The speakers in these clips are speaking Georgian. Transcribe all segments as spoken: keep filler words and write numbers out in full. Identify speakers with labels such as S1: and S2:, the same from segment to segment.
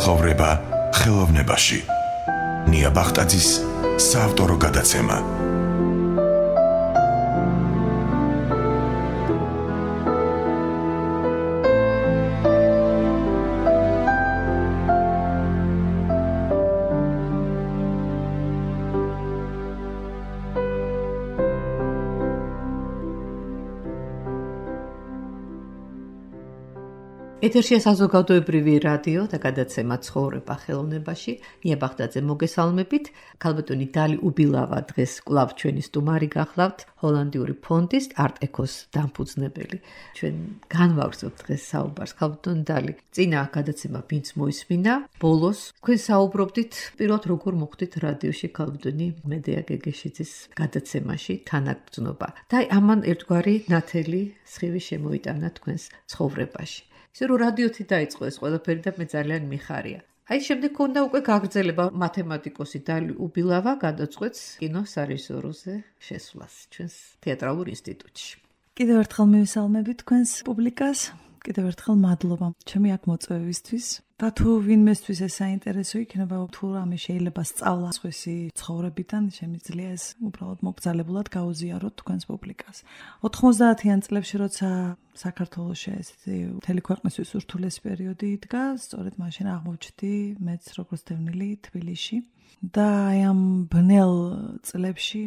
S1: ცხოვრება ხელოვნებაში. ნია ბახტაძის საავტორო გადაცემა.
S2: ეთერშია საზოგადოებრივი რადიო და გადაცემა ცხოვრება ხელოვნებაში. ნია ბახტაძე მოგესალმებით. ქალბატონი დალი უბილავა დღეს კვლავ ჩვენი სტუმარი გახლავთ, ჰოლანდიური ფონდის Art Eco-ს დამფუძნებელი. ჩვენ განვაგრძობთ დღეს საუბარს. ქალბატონი დალი, წინა გადაცემა ვინც მოისმინა, ბოლოს თქვენ საუბრობდით პირველად როგორ მოხდით რადიოში ქალბატონი მედეა გეგეშიძის გადაცემაში თანაგრძნობა. და ამან ერთგვარი ნათელი სხივი შემოიტანა თქვენს ცხოვრებაში. ისე რომ რადიოთი დაიწყო ეს ყველაფერი და მე ძალიან მიხარია. აი შემდეგ ქონდა უკვე გაგრძელება მათემატიკოსი დალი უბილავა გადაწყვეტს კინოს სარეჟისოროზე შესვლას ჩვენს თეატრალურ ინსტიტუტში.
S3: კიდევ ერთხელ მივესალმებით თქვენს პუბლიკას. კიდევ ერთხელ მადლობა ჩემი აქ მოწვევისთვის. და თუ ვინმესთვის ეს საინტერესო იქნება, თუ რამე შეიძლება სწავლა სხვისი ცხოვრებიდან, შემიძლია ეს უბრალოდ მოგზალებულად გაუზიაროთ თქვენს პუბლიკას. ოთხმოცდაათიან წლებში, როცა საქართველოში ესეთი მთელი ქვეყნისთვის ურთულესი პერიოდი იდგა, სწორედ მაშინ აღმოჩნდი მეც როგორც დევნილი თბილისში. და აი ამ ბნელ წლებში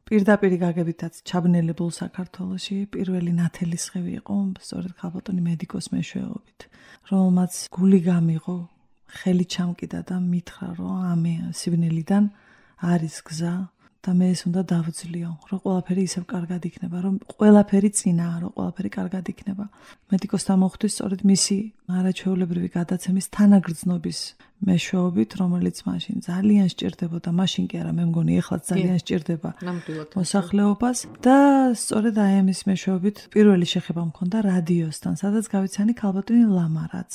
S3: პირდაპირ გაგებითაც ჩაბნელებულ საქართველოში პირველი ნათელი სხივი იყო სწორედ ქალბატონი მედიკოს მეშვეობით, რომელმაც გული გამიღო, ხელი ჩამკიდა და მითხრა, რომ ამე სიბნელიდან არის გზა და მე ეს უნდა დავძლიო, რომ ყველაფერი ისევ კარგად იქნება, რომ ყველაფერი წინაა, რომ ყველაფერი კარგად იქნება. მედიკოსთან მოხვდი სწორედ მისი არაჩვეულებრივი გადაცემის თანაგრძნობის მეშვეობით, რომელიც მაშინ ძალიან სჭირდებოდა, მაშინ კი არა, მე მგონი ეხლაც ძალიან სჭირდება მოსახლეობას და სწორედ აი ამის მეშვეობით პირველი შეხება მქონდა რადიოსთან, სადაც გავიცანი ქალბატონი ლამარაც.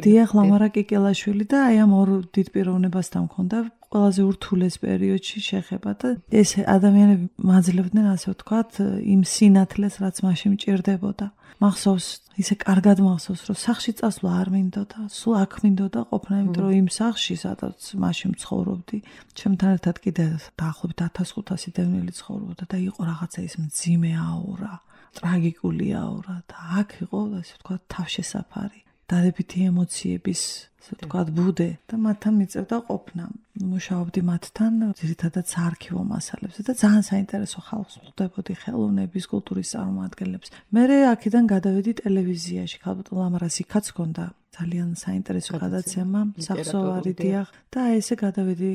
S3: დიახ, ლამარა კიკელაშვილი და აი ამ ორ დიდ პიროვნებასთან მქონდა ყველაზე ურთულეს პერიოდში შეხება და ეს ადამიანები მაძლევდნენ, ასე ვთქვათ, იმ სინათლეს, რაც მაშინ მჭირდებოდა. მახსოვს, ისე კარგად მახსოვს, რომ სახლში წასვლა არ მინდოდა, სულ აქ მინდოდა ყოფნა, იმიტომ რომ იმ სახლში, სადაც მაშინ ცხოვრობდი, ჩემთან ერთად კიდე დაახლოებით ათას ხუთასი დევნილი ცხოვრობდა და იყო რაღაცა ის მძიმე აურა, ტრაგიკული აურა და აქ იყო, ასე ვთქვათ, თავშესაფარი, დადებითი ემოციების, ასე ვთქვათ, ბუდე და მათთან მიწევდა ყოფნა. მუშაობდი მათთან, ძირითადად საარქივო მასალებზე და ძალიან საინტერესო ხალხს ხვდებოდი, ხელოვნების, კულტურის წარმომადგენლებს. მერე აქედან გადავედი ტელევიზიაში, ქალბატონ ლამარას იქაც ჰქონდა ძალიან საინტერესო გადაცემა, სახსოვარი დიახ და ესე გადავედი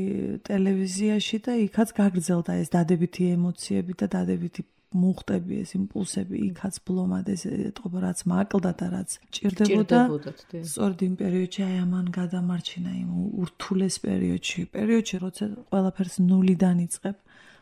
S3: ტელევიზიაში და იქაც გაგრძელდა ეს დადებითი ემოციები და დადებითი მუხტები, ეს იმპულსები, იქაც ბლომად ეს ეტყობა, რაც მაკლდა და რაც ჭირდებოდა. სწორედ იმ პერიოდში აი ამან გადამარჩინა იმ ურთულეს პერიოდში, პერიოდში, როცა ყველაფერს ნულიდან იწყებ.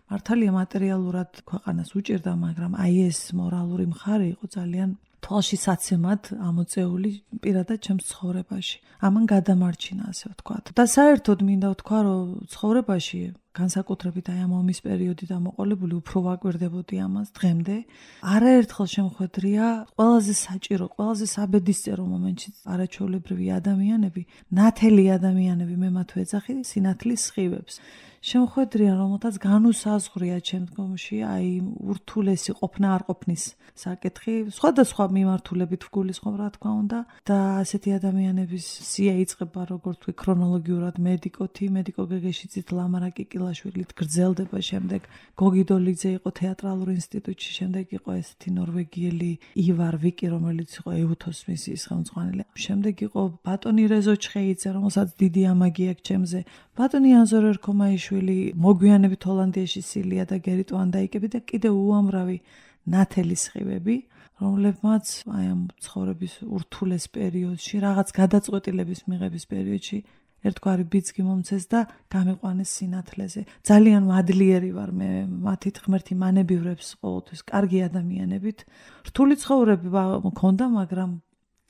S3: მართალია მატერიალურად ქვეყანას უჭირდა, მაგრამ აი ეს მორალური მხარე იყო ძალიან თვალში საცემად ამოწეული პირადად ჩემს ცხოვრებაში. ამან გადამარჩინა, ასე ვთქვათ. და საერთოდ მინდა ვთქვა, რომ ცხოვრებაში განსაკუთრებით აი ამ ომის პერიოდი დამოყოლებული უფრო ვაკვირდებოდი ამას დღემდე. არაერთხელ შემხვედრია ყველაზე საჭირო, ყველაზე საბედისწერო მომენტში არაჩვეულებრივი ადამიანები, ნათელი ადამიანები, მე მათ ვეძახი სინათლის სხივებს. შემხვედრია, რომელთაც განუსაზღვრია შემდგომში აი ურთულესი ყოფნა არ ყოფნის საკითხი, სხვადასხვა მიმართულებით ვგულისხმობ, რა თქმა უნდა, და ასეთი ადამიანების სია იწყება, როგორც ვთქვი, ქრონოლოგიურად მედიკოთი, მედიკო გეგეშიძით, ლამარა კიკილაშვილით გრძელდება, შემდეგ გოგი დოლიძე იყო თეატრალურ ინსტიტუტში, შემდეგ იყო ესეთი ნორვეგიელი ივარ ვიკი, რომელიც იყო ეუთოს მისიის ხელმძღვანელი. შემდეგ იყო ბატონი რეზო ჩხეიძე, რომელსაც დიდი ამაგი აქვს ჩემზე. ბატონი ანზორ ერქომაიშვილი, მოგვიანებით ჰოლანდიაში სილია და გერიტ ვანდაიკები და კიდევ უამრავი ნათელი სხივები, რომლებმაც აი ამ ცხოვრების ურთულეს პერიოდში, რაღაც გადაწყვეტილების მიღების პერიოდში ერთგვარი ბიძგი მომცეს და გამიყვანეს სინათლეზე. ძალიან მადლიერი ვარ მე მათით ღმერთი მანებივრებს ყოველთვის კარგი ადამიანებით. რთული ცხოვრება მქონდა, მაგრამ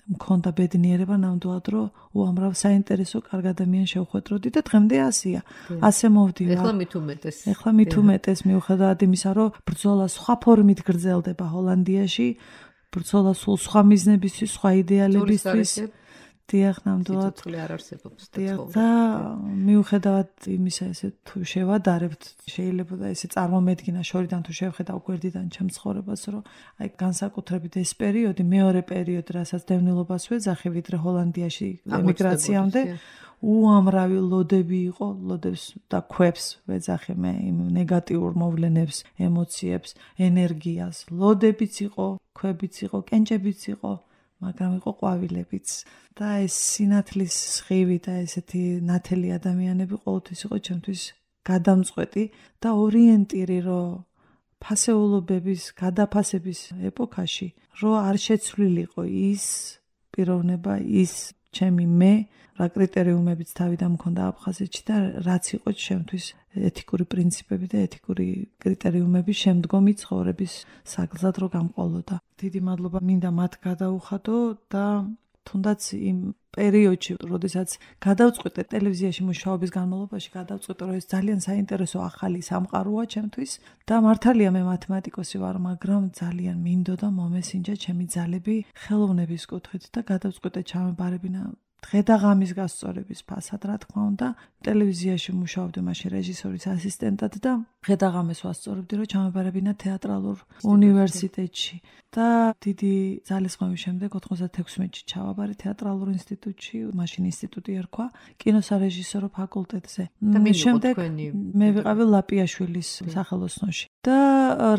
S3: მქონდა ბედნიერება ნამდვილად, რომ უამრავ საინტერესო კარგ ადამიანს შევხვედროდი და დღემდე ასეა. ასე მოვდივარ.
S2: ეხლა მით უმეტეს.
S3: ეხლა მით უმეტეს მიუხედავად იმისა, რომ ბრძოლა სხვა ფორმით გრძელდება ჰოლანდიაში, ბრძოლა სულ სხვა მიზნებისთვის, სხვა იდეალებისთვის. დიახ, ნამდვილად.
S2: სიცოცხლე არ არსებობს და
S3: დიახ,
S2: ცხოვრება.
S3: და მიუხედავად იმისა, ესე თუ შევადარებთ, შეიძლება და ესე წარმომედგინა შორიდან თუ შევხედავ გვერდიდან ჩემს ცხოვრებას, რომ აი განსაკუთრებით ეს პერიოდი, მეორე პერიოდი, რასაც დევნილობას ვეძახი, ვიდრე ჰოლანდიაში ემიგრაციამდე, უამრავი ლოდები იყო, ლოდებს და ქვებს ვეძახი მე იმ ნეგატიურ მოვლენებს, ემოციებს, ენერგიას. ლოდებიც იყო, ქვებიც იყო, კენჭებიც იყო, მაგრამ იყო ყვავილებიც. და ეს სინათლის სხივი და ესეთი ნათელი ადამიანები ყოველთვის იყო ჩემთვის გადამწყვეტი და ორიენტირი, რომ ფასეულობების, გადაფასების ეპოქაში, რომ არ შეცვლილიყო ის პიროვნება, ის ჩემი მე, რა კრიტერიუმებიც თავიდან მქონდა აფხაზეთში და რაც იყო ჩემთვის ეთიკური პრინციპები და ეთიკური კრიტერიუმები შემდგომი ცხოვრების საგზად რო გამყოლოდა. დიდი მადლობა მინდა მათ გადაუხადო და თუნდაც იმ პერიოდში, როდესაც გადავწყვიტე ტელევიზიაში მუშაობის განმავლობაში, გადავწყვიტე, რომ ეს ძალიან საინტერესო ახალი სამყაროა ჩემთვის და მართალია მე მათემატიკოსი ვარ, მაგრამ ძალიან მინდოდა მომესინჯა ჩემი ძალები ხელოვნების კუთხით და გადავწყვიტე ჩამებარებინა დღე და ღამის გასწორების ფასად, რა თქმა უნდა, ტელევიზიაში მუშაობდი მაშინ რეჟისორის ასისტენტად და დღე და ღამეს ვასწორებდი, რომ ჩამებარებინა თეატრალურ უნივერსიტეტში. და დიდი ძალისხმევის შემდეგ ოთხმოცდათექვსმეტში ჩავაბარე თეატრალურ ინსტიტუტში, მაშინ ინსტიტუტი ერქვა, კინოსარეჟისორო ფაკულტეტზე. შემდეგ მე ვიყავი ლაპიაშვილის სახელოსნოში. და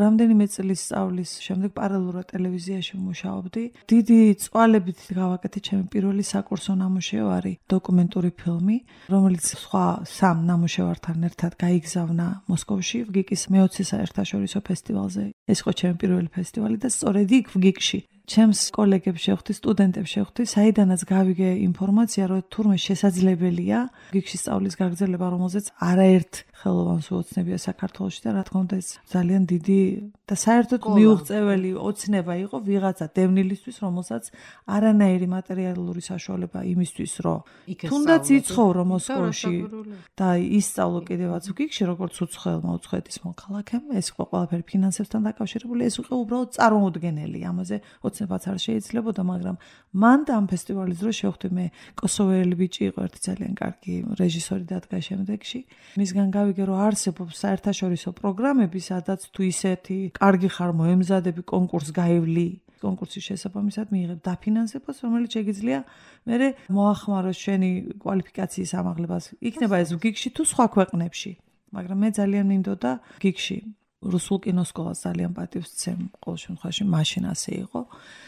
S3: რამდენიმე წლის სწავლის შემდეგ პარალელურად ტელევიზიაში მუშაობდი. დიდი წვალებით გავაკეთე ჩემი პირველი საკურსო ნამუშევარი, დოკუმენტური ფილმი, რომელიც სხვა სამ ნამუშევართან ერთად გაიგზავნა მოსკოვში, ვგიკის მეოცე საერთაშორისო ფესტივალზე. ეს იყო ჩემი პირველი ფესტივალი და სწორედ იქ ვგიკში ჩემს კოლეგებს შევხვდი, სტუდენტებს შევხვდი, საიდანაც გავიგე ინფორმაცია, რომ თურმე შესაძლებელია ვგიკში სწავლის გაგრძელება, რომელზეც არაერთ ხელოვანს უოცნებია საქართველოში და რა თქმა უნდა ეს ძალიან დიდი და საერთოდ მიუღწეველი ოცნება იყო ვიღაცა დევნილისთვის, რომელსაც არანაირი მატერიალური საშუალება იმისთვის, რომ თუნდაც იცხოვრო მოსკოვში და ისწავლო კიდევაც ვგიკში, როგორც უცხოელმა უცხოეთის მოქალაქემ, ეს იყო ყველაფერი ფინანსებთან დაკავშირებული, ეს იყო უბრალოდ წარმოუდგენელი, ამაზე ოცნებაც არ შეიძლებოდა, მაგრამ მან და ამ ფესტივალის დროს შევხვდი მე კოსოველი ბიჭი იყო ერთი ძალიან კარგი რეჟისორი დადგა შემდეგში. მისგან გავიგე, რომ არსებობს საერთაშორისო პროგრამები, სადაც თუ ისეთი კარგი ხარ მოემზადები კონკურსს გაივლი, კონკურსის შესაბამისად მიიღებ დაფინანსებას, რომელიც შეგიძლია მერე მოახმაროს შენი კვალიფიკაციის ამაღლებას. იქნება ეს ვგიკში თუ სხვა ქვეყნებში, მაგრამ მე ძალიან მინდოდა ვგიკში. რუსულ კინოსკოლას ძალიან პატივს ვცემ, ყოველ შემთხვევაში მაშინ ასე იყო.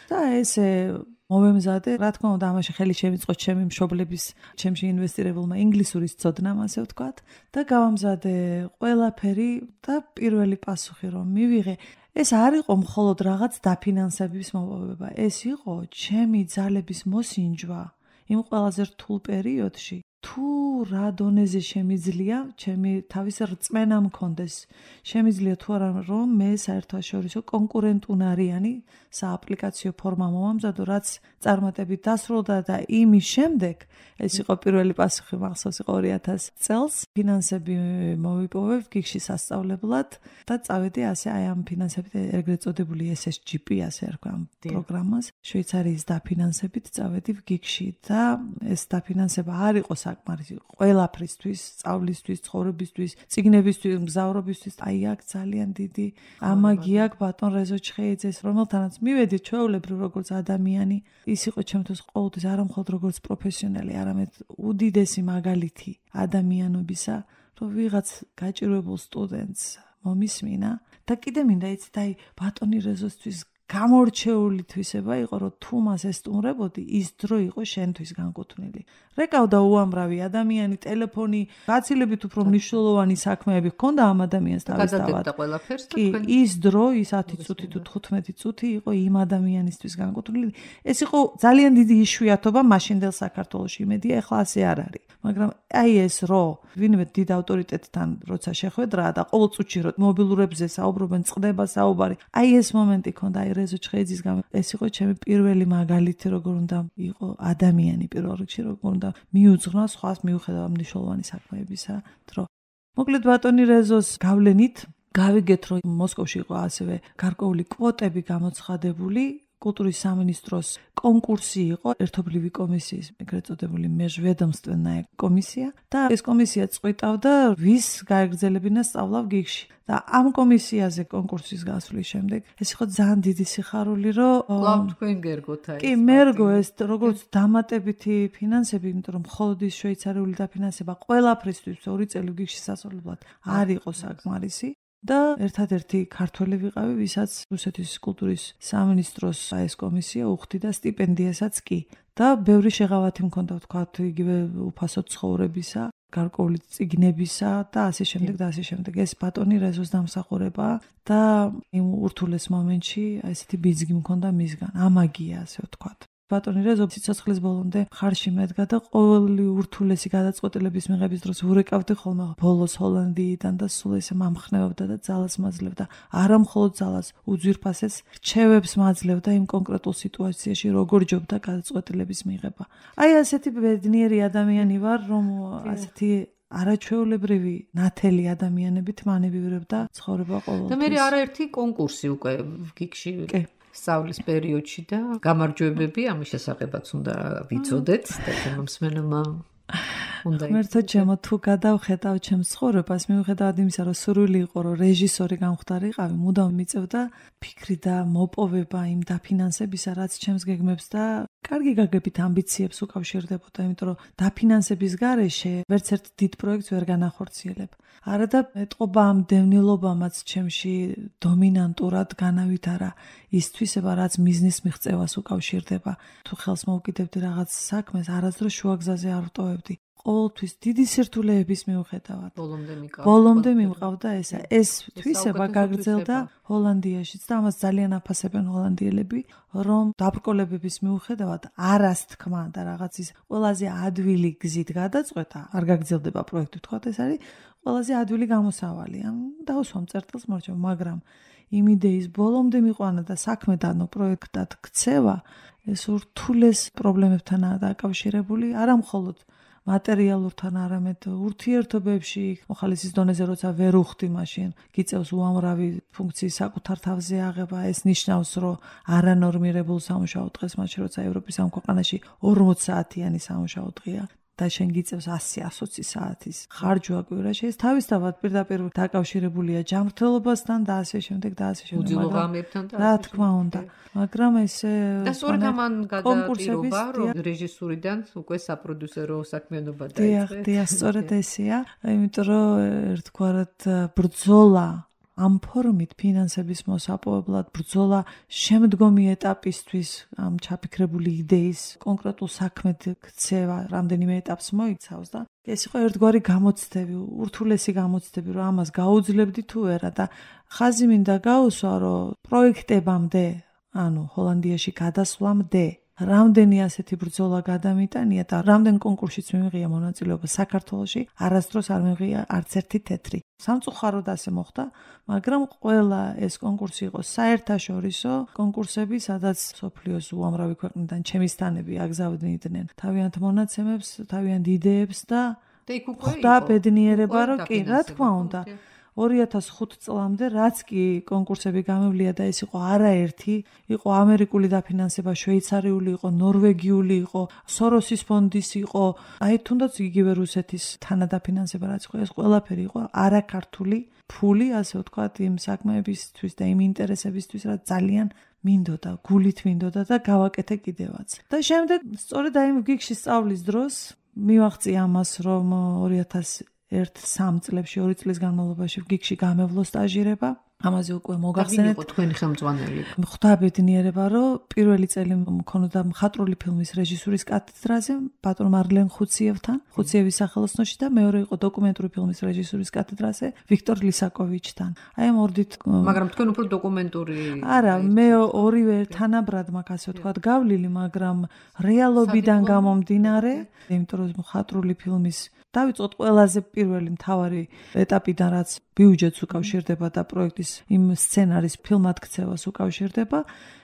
S3: და ესე მოვემზადე, რა თქმა უნდა, ამაში ხელი შემიწყო ჩემი მშობლების, ჩემში ინვესტირებულმა ინგლისურის ცოდნამ, ასე ვთქვათ, და გავამზადე ყველაფერი და პირველი პასუხი რომ მივიღე, ეს არ იყო მხოლოდ რაღაც დაფინანსების მოპოვება, ეს იყო ჩემი ძალების მოსინჯვა იმ ყველაზე რთულ პერიოდში. თუ რა დონეზე შემიძლია ჩემი თავის რწმენა მქონდეს, შემიძლია თუ არა რომ მე საერთაშორისო კონკურენტუნარიანი სააპლიკაციო ფორმა მომამზადო, რაც წარმატებით დასრულდა და იმის შემდეგ ეს იყო პირველი პასუხი, მახსოვს იყო ორი ათასი წელს, ფინანსები მოვიპოვე ვგიკში სასწავლებლად და წავედი ასე აი ამ ფინანსებით ეგრეთ წოდებული ეს ეს ჯი პი ასე ერქვა ამ პროგრამას, შვეიცარიის დაფინანსებით წავედი ვგიკში და ეს დაფინანსება არ იყო საკმარისი ყველაფრისთვის, სწავლისთვის, ცხოვრებისთვის, წიგნებისთვის, მგზავრობისთვის, აი აქ ძალიან დიდი ამაგი აქვს ბატონ რეზო ჩხეიძეს, რომელთანაც მივედი ჩვეულებრივ როგორც ადამიანი, ის იყო ჩემთვის ყოველთვის არა მხოლოდ როგორც პროფესიონალი, არამედ უდიდესი მაგალითი ადამიანობისა, რომ ვიღაც გაჭირვებულ სტუდენტს მომისმინა და კიდე მინდა იცით, აი ბატონი რეზოსთვის გამორჩეული თვისება იყო, რომ თუ მას ესტუმრებოდი, ის დრო იყო შენთვის განკუთვნილი. რეკავდა უამრავი ადამიანი, ტელეფონი, გაცილებით უფრო მნიშვნელოვანი საქმეები ჰქონდა ამ ადამიანს თავისთავად. კი, ის დრო, ის ათი წუთი თუ თხუთმეტი წუთი იყო იმ ადამიანისთვის განკუთვნილი. ეს იყო ძალიან დიდი იშვიათობა მაშინდელ საქართველოში, იმედია ეხლა ასე არ არის. მაგრამ აი ეს რო ვინმე დიდ ავტორიტეტთან როცა შეხვედრა და ყოველ წუთში რო მობილურებზე საუბრობენ, წყდება საუბარი, აი ეს მომენტი ქონდა, აი რეზო ჩხეიძის გამო ეს იყო ჩემი პირველი მაგალითი, როგორ უნდა იყო ადამიანი პირველ რიგში, როგორ უნდა მიუძღვნა სხვას მიუხედავად მნიშვნელოვანი საქმეებისა დრო. მოკლედ ბატონი რეზოს გავლენით გავიგეთ, რომ მოსკოვში იყო ასევე გარკვეული კვოტები გამოცხადებული კულტურის სამინისტროს კონკურსი იყო ერთობლივი კომისიის, ეგრეთ წოდებული межведомственная კომისია და ეს კომისია წყვიტავდა ვის გაეგრძელებინა სწავლა გიგში. და ამ კომისიაზე კონკურსის გასვლის შემდეგ ეს იყო ძალიან დიდი სიხარული, რომ
S2: კლავ თქვენ გერგოთ აი.
S3: კი, მერგო ეს როგორც დამატებითი ფინანსები, იმიტომ რომ მხოლოდ ის შვეიცარიული დაფინანსება ყველაფრისთვის ორი წელი გიგში სასწავლებლად არ იყო საკმარისი. და ერთადერთი ქართველი ვიყავი, ვისაც რუსეთის კულტურის სამინისტროს ეს კომისია უხდიდა სტიპენდიასაც კი. და ბევრი შეღავათი მქონდა, ვთქვათ, იგივე უფასო ცხოვრებისა, გარკვეული წიგნებისა და ასე შემდეგ და ასე შემდეგ. ეს ბატონი რეზოს დამსახურებაა და იმ ურთულეს მომენტში ესეთი ბიძგი მქონდა მისგან. ამაგია, ასე ვთქვათ. ბატონი რეზო სიცოცხლის ბოლომდე ხარში მედგა და ყოველი ურთულესი გადაწყვეტილების მიღების დროს ვურეკავდი ხოლმე ბოლოს ჰოლანდიიდან და სულ ესე მამხნევებდა და ძალას მაძლევდა. არა მხოლოდ ძალას, უძვირფასეს რჩევებს მაძლევდა იმ კონკრეტულ სიტუაციაში, როგორ ჯობდა გადაწყვეტილების მიღება. აი ასეთი ბედნიერი ადამიანი ვარ, რომ ასეთი არაჩვეულებრივი ნათელი ადამიანებით მანევივრებდა ცხოვრება ყოველთვის.
S2: და მე არაერთი კონკურსი უკვე გიგში სწავლის პერიოდში და გამარჯვებები ამის შესახებაც უნდა ვიცოდეთ და შემომსმენელმა უნდა
S3: მერტო ჩემო თუ გადავხედავ ჩემს ცხოვრებას, მიუხედავად იმისა, რომ სურვილი იყო, რომ რეჟისორი გამხდარიყავი, მუდამ მიწევდა ფიქრი და მოპოვება იმ დაფინანსებისა, რაც ჩემს გეგმებს და კარგი გაგებით ამბიციებს უკავშირდებოდა, იმიტომ რომ დაფინანსების გარეშე ვერც ერთ დიდ პროექტს ვერ განახორციელებ. არა და ეტყობა ამ დევნილობამაც ჩემში დომინანტურად განავითარა ის თვისება, რაც მიზნის მიღწევას უკავშირდება. თუ ხელს მოუკიდებდი რაღაც საქმეს, არასდროს შუაგზაზე არ ვტოვებდი. ყოველთვის დიდი სირთულეების მიუხედავად.
S2: ბოლომდე მიყავდა.
S3: ბოლომდე მიმყავდა ესა. ეს თვისება გაგრძელდა ჰოლანდიაშიც და ამას ძალიან აფასებენ ჰოლანდიელები, რომ დაბრკოლებების მიუხედავად არას თქმა და რაღაც ის ყველაზე ადვილი გზით გადაწყვეტა, არ გაგრძელდება პროექტი, თქვათ ეს არის ყველაზე ადვილი გამოსავალი. ამ დავუსვამ წერტილს მორჩა, მაგრამ იმ იდეის ბოლომდე მიყვანა და საქმე დანო პროექტად ქცევა, ეს ურთულეს პრობლემებთანაა დაკავშირებული, არა მხოლოდ მატერიალურთან, არამედ ურთიერთობებში, მოხალისის დონეზე როცა ვერ უხდი, მაშინ გიწევს უამრავი ფუნქციის საკუთარ თავზე აღება. ეს ნიშნავს, რომ არანორმირებულ სამუშაო დღეს, მაშინ როცა ევროპის ამ ქვეყანაში ორმოც საათიანი სამუშაო დღეა და შენ გიწევს ასი ოცი საათის ხარჯვა კვირაში, ეს თავისთავად პირდაპირ დაკავშირებულია ჯანმრთელობასთან და ასე შემდეგ და ასე შემდეგ.
S2: უძილოღამებთან და
S3: რა თქმა უნდა. მაგრამ ესე
S2: და სწორედ ამან გადააპირობა, რომ რეჟისურიდან უკვე საპროდიუსერო საქმიანობა დაიწყეს.
S3: დიახ, დიახ, სწორედ ესეა. იმიტომ რომ ერთგვარად ბრძოლა ამ ფორმით ფინანსების მოსაპოვებლად, ბრძოლა შემდგომი ეტაპისთვის, ამ ჩაფიქრებული იდეის კონკრეტულ საქმედ ქცევა რამდენიმე ეტაპს მოიცავს და ეს იყო ერთგვარი გამოცდები, ურთულესი გამოცდები, რომ ამას გაუძლებდი თუ არა და ხაზი მინდა გაუსვა, რომ პროექტებამდე, ანუ ჰოლანდიაში გადასვლამდე რამდენი ასეთი ბრძოლა გადამიტანია და რამდენ კონკურსშიც მივიღია მონაწილეობა საქართველოში, არასდროს არ მივიღია არც ერთი თეთრი. სამწუხაროდ ასე მოხდა, მაგრამ ყველა ეს კონკურსი იყო საერთაშორისო კონკურსები, სადაც სოფლიოს უამრავი ქვეყნიდან ჩემისთანები აგზავნიდნენ თავიანთ მონაცემებს, თავიანთ იდეებს და ხვდა ბედნიერება, რომ კი, რა თქმა უნდა. ორი ათას ხუთი წლამდე რაც კი კონკურსები გამევლია და ეს იყო არაერთი, იყო ამერიკული დაფინანსება, შვეიცარიული იყო, ნორვეგიული იყო, სოროსის ფონდის იყო, აი თუნდაც იგივე რუსეთის თანადაფინანსება რაც იყო, ეს ყველაფერი იყო არაქართული ფული, ასე ვთქვათ, იმ საქმეებისთვის და იმ ინტერესებისთვის, რაც ძალიან მინდოდა, გულით მინდოდა და გავაკეთე კიდევაც. და შემდეგ სწორედ აი იმ გიგში სწავლის დროს მივაღწია ამას, რომ ორი ათას ერთ სამ წლებში, ორი წლის განმავლობაში გიგში გამევლო სტაჟირება. ამაზე უკვე მოგახსენეთ.
S2: იყო თქვენი ხელმძღვანელი.
S3: ხვდა ბედნიერება, რომ პირველი წელი მქონოდა მხატვრული ფილმის რეჟისურის კათედრაზე ბატონ მარლენ ხუციევთან, ხუციევის სახელოსნოში და მეორე იყო დოკუმენტური ფილმის რეჟისურის კათედრაზე ვიქტორ ლისაკოვიჩთან. აი ამ ორდით.
S2: მაგრამ თქვენ უფრო დოკუმენტური.
S3: არა, მე ორივე თანაბრად მაგ ასე ვთქვათ გავლილი, მაგრამ რეალობიდან გამომდინარე, იმიტომ რომ მხატვრული ფილმის დავიწყოთ ყველაზე პირველი მთავარი ეტაპიდან, რაც ბიუჯეტს უკავშირდება და პროექტის იმ სცენარის ფილმად ქცევას უკავშირდება,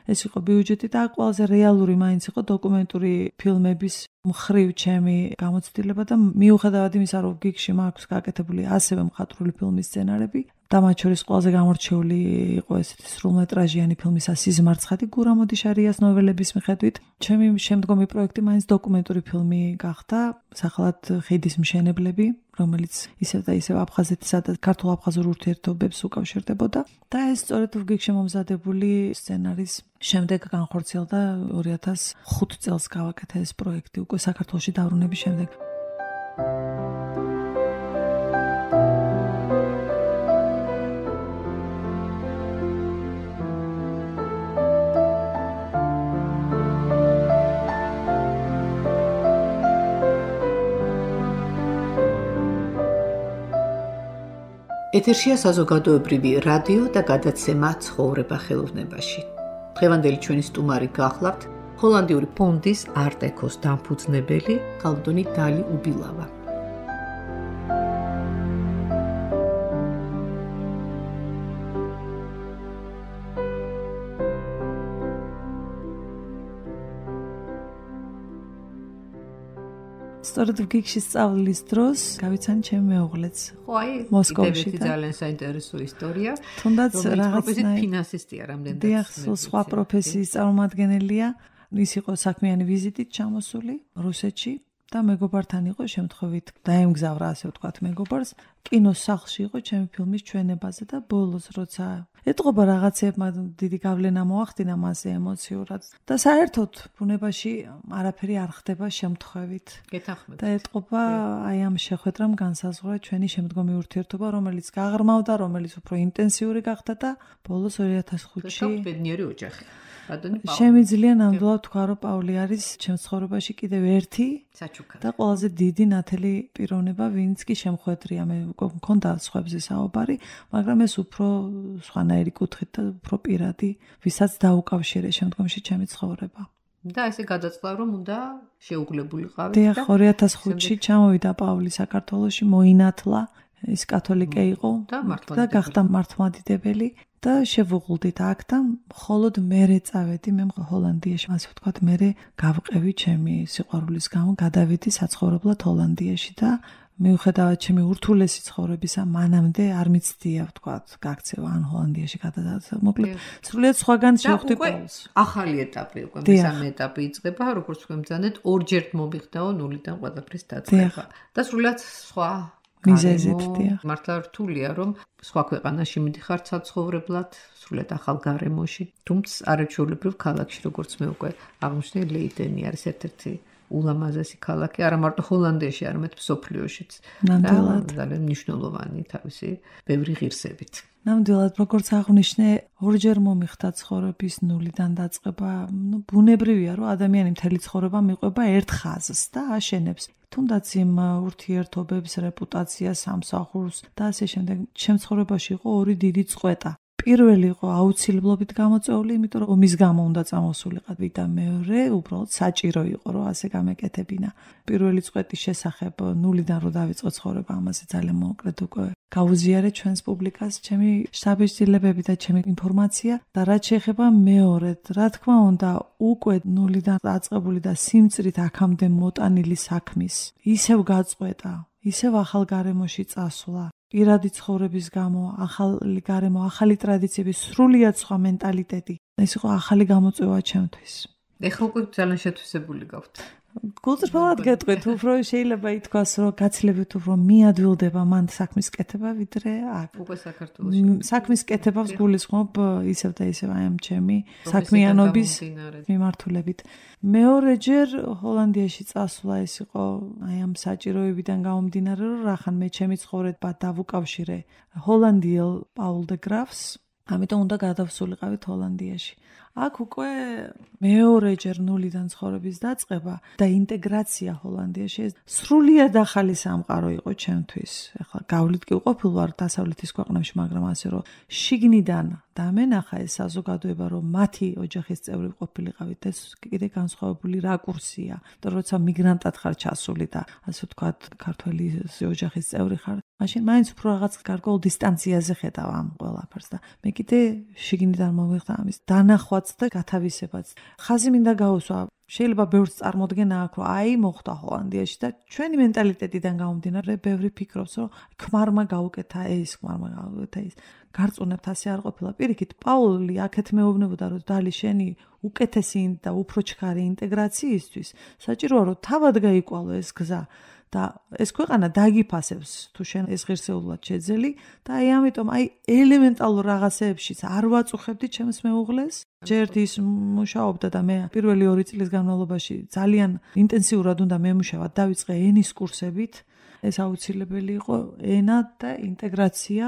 S3: ეს იყო ბიუჯეტი და ყველაზე რეალური მაინც იყო დოკუმენტური ფილმების მხრივ ჩემი გამოცდილება და მიუხედავად იმისა, რომ გიგში მაქვს გაკეთებული ასევე მხატვრული ფილმის სცენარები, და მათ შორის ყველაზე გამორჩეული იყო ესეთი სრულმეტრაჟიანი ფილმი სიზმარცხადი გურამ ოდიშარიას ნოველების მიხედვით. ჩემი შემდგომი პროექტი მაინც დოკუმენტური ფილმი გახდა, სახელად ხიდის მშენებლები, რომელიც ისევ და ისევ აფხაზეთისა და ქართულ-აფხაზურ ურთიერთობებს უკავშირდებოდა და ეს სწორედ ვგიგში მომზადებული სცენარის შემდეგ განხორციელდა ორი ათას ხუთ წელს გავაკეთა ეს პროექტი უკვე საქართველოში დაბრუნების შემდეგ.
S2: ეთერშია საზოგადოებრივი რადიო და გადაცემა ცხოვრება ხელოვნებაში. დღევანდელი ჩვენი სტუმარი გახლავთ ჰოლანდიური ფონდის არტ-ეკოს დამფუძნებელი ქალბატონი დალი უბილავა.
S3: სწორედ ვგიგში სწავლის დროს გავიცანი ჩემი მეუღლეც.
S2: ხო, აი,
S3: მოსკოვში
S2: ძალიან საინტერესო ისტორია.
S3: თუნდაც
S2: რაღაცნაირად ფინანსისტია რამდენად.
S3: დიახ, სხვა პროფესიის წარმომადგენელია. ის იყო საქმიანი ვიზიტით ჩამოსული რუსეთში და მეგობართან იყო შემთხვევით დაემგზავრა ასე ვთქვათ მეგობარს. კინოს სახლში იყო ჩემი ფილმის ჩვენებაზე და ბოლოს როცა ეტყობა რაღაცებმა დიდი გავლენა მოახდინა მასზე ემოციურად და საერთოდ ბუნებაში არაფერი არ ხდება შემთხვევით.
S2: გეთანხმებით.
S3: და ეტყობა აი ამ შეხვედრამ განსაზღვრა ჩვენი შემდგომი ურთიერთობა, რომელიც გაღრმავდა, რომელიც უფრო ინტენსიური გახდა და ბოლოს ორი ათას ხუთში
S2: ბედნიერი ოჯახი.
S3: შემიძლია ნამდვილად თქვა, რომ პავლი არის ჩემს ცხოვრებაში კიდევ ერთი
S2: საჩუქარი
S3: და ყველაზე დიდი ნათელი პიროვნება, ვინც კი შემხვედრია. მე მქონდა სხვებზე საუბარი, მაგრამ ეს უფრო სხვანაირი კუთხით და უფრო პირადი, ვისაც დაუკავშირე შემდგომში ჩემი ცხოვრება.
S2: და ესე გადაწყდა, რომ უნდა შეუგლებულიყავით
S3: და ორი ათას ხუთში ჩამოვიდა პავლი საქართველოში, მოინათლა, ის კათოლიკე იყო და გახდა მართლმადიდებელი. და შევუღლდით აქ და მხოლოდ მერე წავედი მე ჰოლანდიაში, ასე ვთქვათ, მერე გავყევი ჩემი სიყვარულის გამო, გადავედი საცხოვრებლად ჰოლანდიაში და მიუხედავად ჩემი ურთულესი ცხოვრებისა, მანამდე არ მიცდია, ვთქვათ, გაქცევა ან ჰოლანდიაში გადადასვლა. მოკლედ, სრულიად სხვაგან შევხვდი პავლს.
S2: ახალი ეტაპი უკვე, მესამე ეტაპი იწყება, როგორც თქვენ ბრძანეთ, ორჯერ მომიხდაო ნულიდან ყველაფრის დაწყება. და სრულიად სხვა
S3: მიზეზით დიახ.
S2: მართლა რთულია, რომ სხვა ქვეყანაში მიდიხარ საცხოვრებლად, სრულიად ახალ გარემოში, თუმცა არაჩვეულებრივ ქალაქში, როგორც მე უკვე აღმოჩნდი, ლეიდენი არის ერთ-ერთი ულამაზესი ქალაქი, არა მარტო ჰოლანდიაში, არამედ მსოფლიოშიც.
S3: ნამდვილად.
S2: ძალიან მნიშვნელოვანი თავისი ბევრი ღირსებით.
S3: ნამდვილად, როგორც აღნიშნე, ორჯერ მომიხდა ცხოვრების ნულიდან დაწყება. ნუ ბუნებრივია, რომ ადამიანი მთელი ცხოვრება მიყვება ერთ ხაზს და აშენებს. თუნდაც იმ ურთიერთობებს, რეპუტაციას, სამსახურს და ასე შემდეგ. ჩემ ცხოვრებაში იყო ორი დიდი წყვეტა. პირველი იყო აუცილებლობით გამოწვეული, იმიტომ რომ ომის გამო უნდა წამოსულიყავი და მეორე უბრალოდ საჭირო იყო, რომ ასე გამეკეთებინა. პირველი წყვეტის შესახებ ნულიდან რო დავიწყო ცხოვრება, ამაზე ძალიან მოკლედ უკვე გავუზიარე ჩვენს პუბლიკას, ჩემი შთაბეჭდილებები და ჩემი ინფორმაცია და რაც შეეხება მეორედ, რა თქმა უნდა, უკვე ნულიდან დაწყებული და სიმწრით აქამდე მოტანილი საქმის ისევ გაწყვეტა, ისევ ახალ გარემოში წასვლა. პირადი ცხოვრების გამო, ახალი გარემო, ახალი ტრადიციები, სრულიად სხვა მენტალიტეტი. ეს იყო ახალი გამოწვევა ჩემთვის.
S2: ეხლა უკვე ძალიან შეთვისებული გაქვთ.
S3: გულწრფელად გეტყვით, უფრო შეიძლება ითქვას, რომ გაცილებით უფრო მიადვილდება მან საქმის კეთება, ვიდრე აქ.
S2: უკვე საქართველოში.
S3: საქმის კეთებას გულისხმობ ისევ და ისევ აი ამ ჩემი საქმიანობის მიმართულებით. მეორეჯერ ჰოლანდიაში წასვლა ეს იყო აი ამ საჭიროებიდან გამომდინარე, რომ რახან მე ჩემი ცხოვრება დავუკავშირე ჰოლანდიელ პაულ დე გრაფს, ამიტომ უნდა გადავსულიყავით ჰოლანდიაში. აქ უკვე მეორეჯერ ნულიდან ცხოვრების დაწყება და ინტეგრაცია ჰოლანდიაში სრულიად ახალი სამყარო იყო ჩემთვის. ახლა გავლით კი უყოფილ ვარ დასავლეთის ქვეყნებში, მაგრამ ასე რომ შიგნიდან დამენახა ეს საზოგადოება, რომ მათი ოჯახის წევრი ყოფილიყავით, ეს კიდე განსხვავებული რაკურსია. და როცა მიგრანტად ხარ ჩასული და ასე ვთქვათ, ქართველი ოჯახის წევრი ხარ, მაშინ მაინც უფრო რაღაც გარკვეულ დისტანციაზე ხედავ ამ ყველაფერს და მე კიდე შიგნიდან მომიხდა ამის დანახვაც და გათავისებაც. ხაზი მინდა გაუსვა შეიძლება ბევრს წარმოდგენა აქვს, რომ აი მოხდა ჰოლანდიაში და ჩვენი მენტალიტეტიდან გამომდინარე ბევრი ფიქრობს, რომ ქმარმა გაუკეთა ეს, ქმარმა გაუკეთა ეს. გარწმუნებთ ასე არ ყოფილა. პირიქით, პაული აქეთ მეუბნებოდა, რომ დალი შენი უკეთესი და უფრო ჩქარი ინტეგრაციისთვის საჭიროა, რომ თავად გაიკვალო ეს გზა. და ეს ქვეყანა დაგიფასებს თუ შენ ეს ღირსეულად შეძელი და აი ამიტომ აი ელემენტალურ რაღაცეებშიც არ ვაწუხებდი ჩემს მეუღლეს. ჯერ ის მუშაობდა და მე პირველი ორი წლის განმავლობაში ძალიან ინტენსიურად უნდა მემუშავა, დავიწყე ენის კურსებით. ეს აუცილებელი იყო ენა და ინტეგრაცია.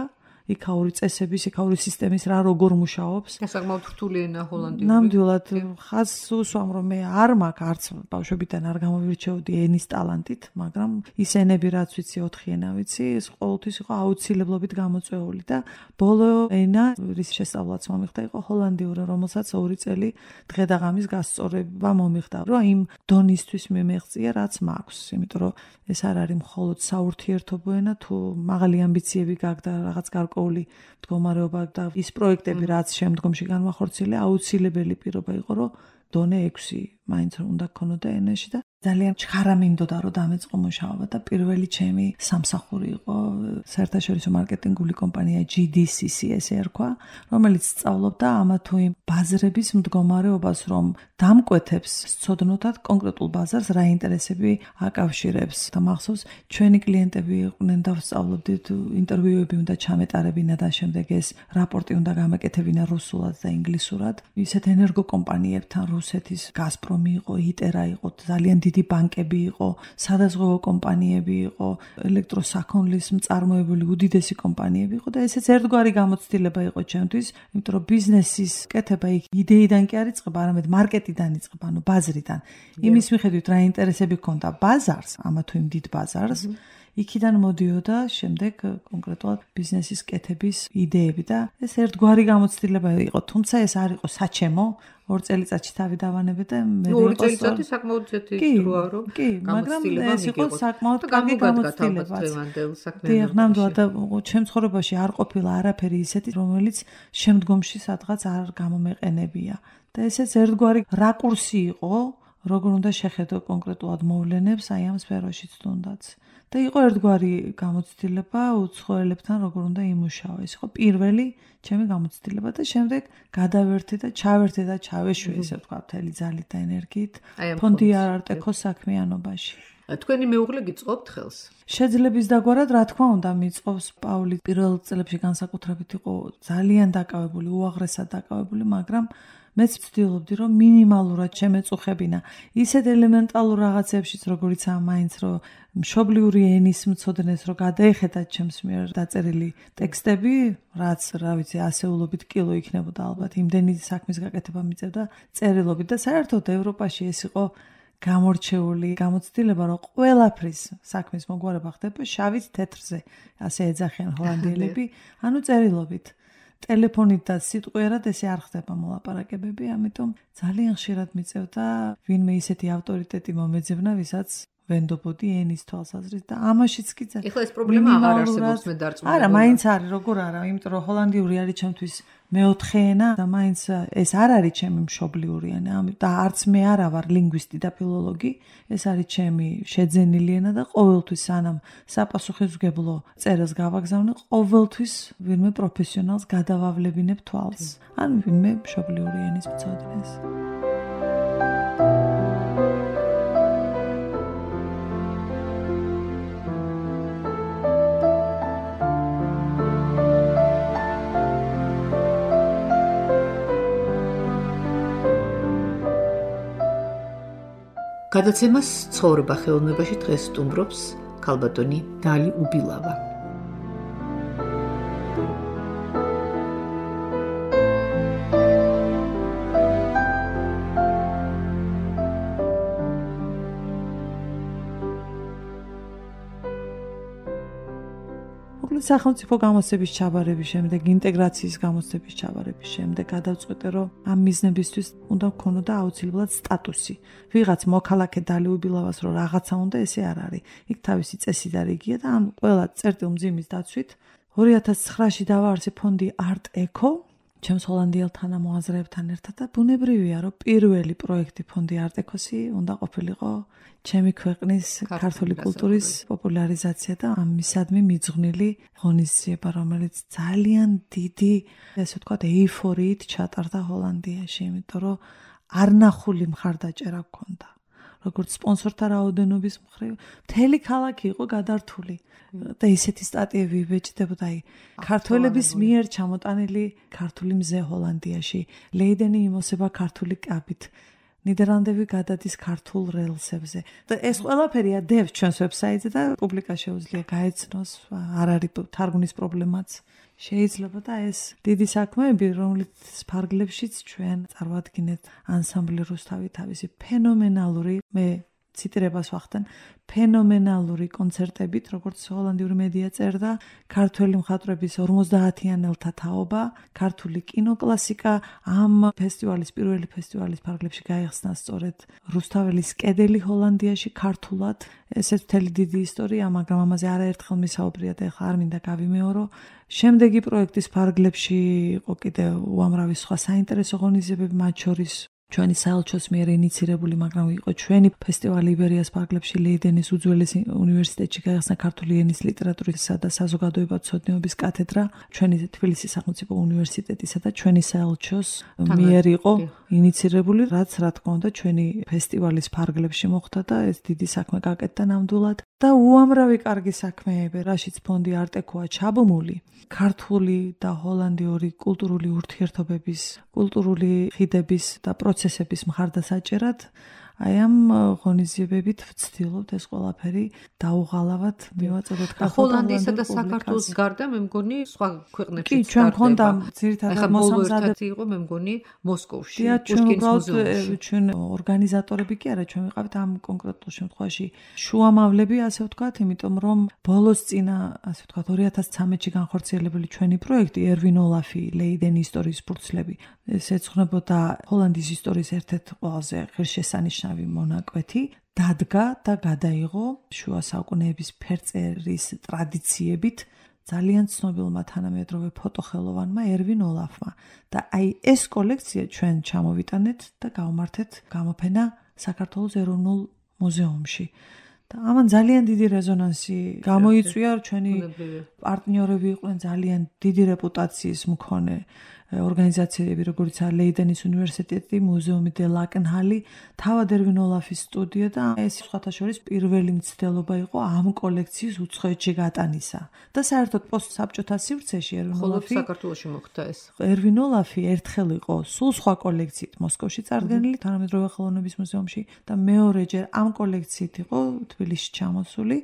S3: იქაური წესების, იქაური სისტემის რა როგორ მუშაობს.
S2: საკმაოდ რთული ენა ჰოლანდიური.
S3: ნამდვილად ხაზს უსვამ, რომ მე არ მაქვს არც ბავშვებიდან არ გამოვირჩეოდი ენის ტალანტით, მაგრამ ის ენები რაც ვიცი, ოთხი ენა ვიცი, ეს ყოველთვის იყო აუცილებლობით გამოწვეული და ბოლო ენა, რის შესწავლაც მომიხდა, იყო ჰოლანდიური, რომელსაც ორი წელი დღე და ღამის გასწორება მომიხდა, რომ იმ დონისთვის მე მეღწია, რაც მაქვს, იმიტომ რომ ეს არ არის მხოლოდ საურთიერთობო ენა, თუ მაღალი ამბიციები გაქვს და რაღაც გარკვეული მდგომარეობა და ის პროექტები რაც შემდგომში განვახორციელე აუცილებელი პირობა იყო რომ დონე ექვსი მაინც უნდა გქონოდა ენაში და ძალიან ჩხარა მინდოდა რომ დამეწყო მუშაობა და პირველი ჩემი სამსახური იყო საერთაშორისო მარკეტინგული კომპანია ჯი დი სი სი ესე ერქვა რომელიც სწავლობდა ამა თუ იმ ბაზრების მდგომარეობას რომ დამკვეთებს სცოდნოდათ კონკრეტულ ბაზარს რა ინტერესები აკავშირებს და მახსოვს ჩვენი კლიენტები იყვნენ და ვსწავლობდით ინტერვიუები უნდა ჩამეტარებინა და შემდეგ ეს რაპორტი უნდა გამეკეთებინა რუსულად და ინგლისურად ისეთ ენერგო კომპანიებთან რუსეთის გაზპრომი იყო იტერა იყო ძალიან დიდი ბანკები იყო, სადაზღვევო კომპანიები იყო, ელექტროსაქონლის მწარმოებელი უდიდესი კომპანიები იყო და ესეც ერთგვარი გამოცდილება იყო ჩემთვის, იმიტომ რომ ბიზნესის კეთება იქ იდეიდან კი არ იწყება, არამედ მარკეტიდან იწყება, ანუ ბაზრიდან. იმის მიხედვით რა ინტერესები ჰქონდა ბაზარს, ამა თუ იმ დიდ ბაზარს, იქიდან მოდიოდა შემდეგ კონკრეტულად ბიზნესის კეთების იდეები და ეს ერთგვარი გამოცდილება იყო, თუმცა ეს არ იყო საჩემო. ორ წელიწადში თავი დავანებე და მე
S2: ორი წელიწადი საკმაოდ ძეთი დროა რომ
S3: კი, მაგრამ ეს იყო საკმაოდ კარგი გამოცდილება. დიახ, ნამდვილად და ჩემ ცხოვრებაში არ ყოფილა არაფერი ისეთი, რომელიც შემდგომში სადღაც არ გამომეყენებია. და ესეც ერთგვარი რაკურსი იყო, როგორ უნდა შეხედო კონკრეტულად მოვლენებს აი ამ სფეროშიც თუნდაც. და იყო ერთგვარი გამოცდილება უცხოელებთან როგორ უნდა იმუშაო. ეს იყო პირველი ჩემი გამოცდილება და შემდეგ გადავერთე და ჩავერთე და ჩავეშვი ესე ვთქვა მთელი ძალით და ენერგიით ფონდი არტეკოს საქმიანობაში.
S2: თქვენი მეუღლე გიწყობთ ხელს?
S3: შეძლების დაგვარად რა თქმა უნდა მიწყობს პაული პირველ წლებში განსაკუთრებით იყო ძალიან დაკავებული, უაღრესად დაკავებული, მაგრამ მეც ვცდილობდი რომ მინიმალურად შემეწუხებინა ისეთ ელემენტალურ რაღაცებშიც როგორიცაა მაინც რომ მშობლიური ენის მცოდნეს რომ გადაეხედათ ჩემს მიერ დაწერილი ტექსტები რაც რა ვიცი ასეულობით კილო იქნებოდა ალბათ იმდენი საქმის გაკეთება მიწევდა წერილობით და საერთოდ ევროპაში ეს იყო გამორჩეული გამოცდილება რომ ყველაფრის საქმის მოგვარება ხდება შავით თეთრზე ასე ეძახიან ჰოლანდიელები ანუ წერილობით ტელეფონით და სიტყვიერად ესე არ ხდება მოლაპარაკებები, ამიტომ ძალიან ხშირად მიწევდა ვინმე ისეთი ავტორიტეტი მომეძებნა, ვისაც ვენდობოდი ენის თვალსაზრისით და ამაშიც კი
S2: ძალიან. ეხლა ეს პრობლემა აღარ არსებობს მე დარწმუნებული.
S3: არა, მაინც არის, როგორ არა, იმიტომ რომ ჰოლანდიური არის ჩემთვის მეოთხე ენა და მაინც ეს არ არის ჩემი მშობლიური ენა, და არც მე არა ვარ ლინგვისტი და ფილოლოგი, ეს არის ჩემი შეძენილი ენა და ყოველთვის სანამ საპასუხისმგებლო წერილს გავაგზავნე, ყოველთვის ვინმე პროფესიონალს გადავავლებინებ თვალს. ან ვინმე მშობლიური ენის მცოდნეს.
S2: გადაცემას ცხოვრება ხელოვნებაში დღეს სტუმრობს ქალბატონი დალი უბილავა.
S3: სახელმწიფო გამოცდების ჩაბარების შემდეგ, ინტეგრაციის გამოცდების ჩაბარების შემდეგ გადავწყვეტე, რომ ამ მიზნებისთვის უნდა გქონოდა აუცილებლად სტატუსი. ვიღაც მოქალაქე დალი უბილავას რომ რაღაცა უნდა, ესე არ არის. იქ თავისი წესი და რიგია და ამ ყველა წერტილ მძიმის დაცვით ორი ათას ცხრაში დავაარსე ფონდი არტ ეკო ჩემს ჰოლანდიელ თანამოაზრეებთან ერთად და ბუნებრივია, რომ პირველი პროექტი ფონდი არტეკოსი უნდა ყოფილიყო ჩემი ქვეყნის ქართული კულტურის პოპულარიზაცია და ამისადმი მიძღვნილი ღონისძიება, რომელიც ძალიან დიდი, ესე ვთქვათ, ეიფორიით ჩატარდა ჰოლანდიაში, იმიტომ რომ არნახული მხარდაჭერა გქონდა. როგორც სპონსორთა რაოდენობის მხრივ, მთელი ქალაქი იყო გადართული და ისეთი სტატიები იბეჭდებოდა, აი, ქართველების მიერ ჩამოტანილი ქართული მზე ჰოლანდიაში, ლეიდენი იმოსება ქართული კაბით, ნიდერლანდები გადადის ქართულ რელსებზე. და ეს ყველაფერი ადევს ჩვენს ვებსაიტზე და პუბლიკას შეუძლია გაეცნოს, არ არის თარგმნის პრობლემაც. შეიძლება და ეს დიდი საქმეები, რომლის ფარგლებშიც ჩვენ წარმოადგენთ ანსამბლი რუსთავი თავისი ფენომენალური, მე ციტირებას ვახდენ, ფენომენალური კონცერტებით, როგორც ჰოლანდიური მედია წერდა, ქართველი მხატვრების ორმოცდაათიანელთა თაობა, ქართული კინოკლასიკა, ამ ფესტივალის პირველი ფესტივალის ფარგლებში გაიხსნა სწორედ რუსთაველის კედელი ჰოლანდიაში ქართულად. ესეც მთელი დიდი ისტორია, მაგრამ ამაზე არაერთხელ მისაუბრია და ეხლა არ მინდა გავიმეორო. შემდეგი პროექტის ფარგლებში იყო კიდევ უამრავი სხვა საინტერესო ღონისძიებები, მათ შორის ჩვენი საელჩოს მიერ ინიცირებული, მაგრამ იყო ჩვენი ფესტივალი იბერიას ფარგლებში ლეიდენის უძველეს უნივერსიტეტში გაიხსნა ქართული ენის ლიტერატურისა და საზოგადოებათმცოდნეობის კათედრა, ჩვენი თბილისის სახელმწიფო უნივერსიტეტისა და ჩვენი საელჩოს მიერ იყო ინიცირებული, რაც რა თქმა უნდა ჩვენი ფესტივალის ფარგლებში მოხდა და ეს დიდი საქმე გაკეთდა ნამდვილად. და უამრავი კარგი საქმეები, რაშიც ფონდი არტეკოა ჩაბმული, ქართული და ჰოლანდიური კულტურული ურთიერთობების, კულტურული ხიდების და პროცესების მხარდასაჭერად, აი ამ ღონისძიებებით ვცდილობთ ეს ყველაფერი დაუღალავად მივაწოდოთ
S2: ჰოლანდიისა და საქართველოს გარდა, მე მგონი სხვა ქვეყნებშიც
S3: კი, ჩვენ გქონდა ძირითადად
S2: მოსამზადებელი იყო, მე მგონი მოსკოვში,
S3: პუშკინის მუზეუმში. ჩვენ ორგანიზატორები კი არა, ჩვენ ვიყავით ამ კონკრეტულ შემთხვევაში შუამავლები, ასე ვთქვათ, იმიტომ რომ ბოლოს წინა, ასე ვთქვათ, ორი ათას ცხრამეტში განხორციელებული ჩვენი პროექტი ერვინ ოლაფი, ლეიდენი ისტორიის ფურცლები, ეს ეძღვნებოდა ჰოლანდიის ისტორიის ერთ-ერთ ყველაზე ღირსშესანიშნავი მონაკვეთი, დადგა და გადაიღო შუა საუკუნეების ფერწერის ტრადიციებით ძალიან ცნობილმა თანამედროვე ფოტოხელოვანმა ერვინ ოლაფმა. და აი ეს კოლექცია ჩვენ ჩამოვიტანეთ და გავმართეთ გამოფენა საქართველოს ეროვნულ მუზეუმში. და ამან ძალიან დიდი რეზონანსი გამოიწვია, ჩვენი პარტნიორები იყვნენ ძალიან დიდი რეპუტაციის მქონე ორგანიზაციები, როგორიცაა ლეიდენის უნივერსიტეტი, მუზეუმი დე ლაკენჰალი, თავად ერვინ ოლაფის სტუდია და ეს სხვათა შორის პირველი მცდელობა იყო ამ კოლექციის უცხოეთში გატანისა. და საერთოდ პოსტსაბჭოთა სივრცეში ერვინ ოლაფი
S2: საქართველოში მოხდა ეს.
S3: ერვინ ოლაფი ერთხელ იყო სულ სხვა კოლექციით მოსკოვში წარდგენილი თანამედროვე ხელოვნების მუზეუმში და მეორეჯერ ამ კოლექციით იყო თბილისში ჩამოსული.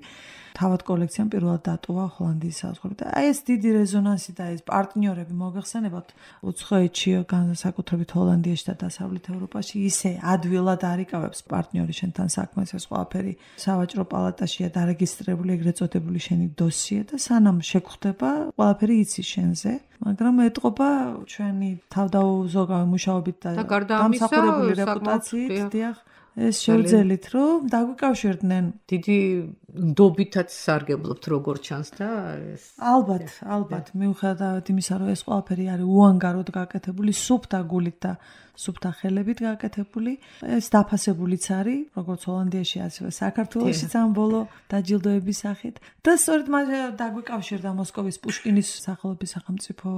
S3: თავად კოლექციამ პირველად დატოვა ჰოლანდიის საზღვრები და აი ეს დიდი რეზონანსი და ეს პარტნიორები მოგეხსენებათ უცხოეთში, განსაკუთრებით ჰოლანდიაში და დასავლეთ ევროპაში ისე ადვილად არიკავებს პარტნიორი შენთან საქმეს, ეს ყველაფერი სავაჭრო პალატაშია დარეგისტრირებული, ეგრეთ წოდებული შენი დოსიე და სანამ შეგხვდება, ყველაფერი იცის შენზე. მაგრამ ეთყობა ჩვენი თავდაუზოგავი მუშაობით და დამსახურებული რეპუტაციით, დიახ, ეს შევძელით, რომ დაგვიკავშირდნენ.
S2: დიდი ნდობითაც სარგებლობთ როგორ ჩანს და ეს
S3: ალბათ, ალბათ, მიუხედავად იმისა, რომ ეს ყველაფერი არის უანგაროდ გაკეთებული, სუფთა გულით და სუფთა ხელებით გაკეთებული, ეს დაფასებულიც არის, როგორც ჰოლანდიაში, ასევე საქართველოშიც ამ ბოლო დაჯილდოების სახით. და სწორედ მას დაგვიკავშირდა მოსკოვის პუშკინის სახელობის სახელმწიფო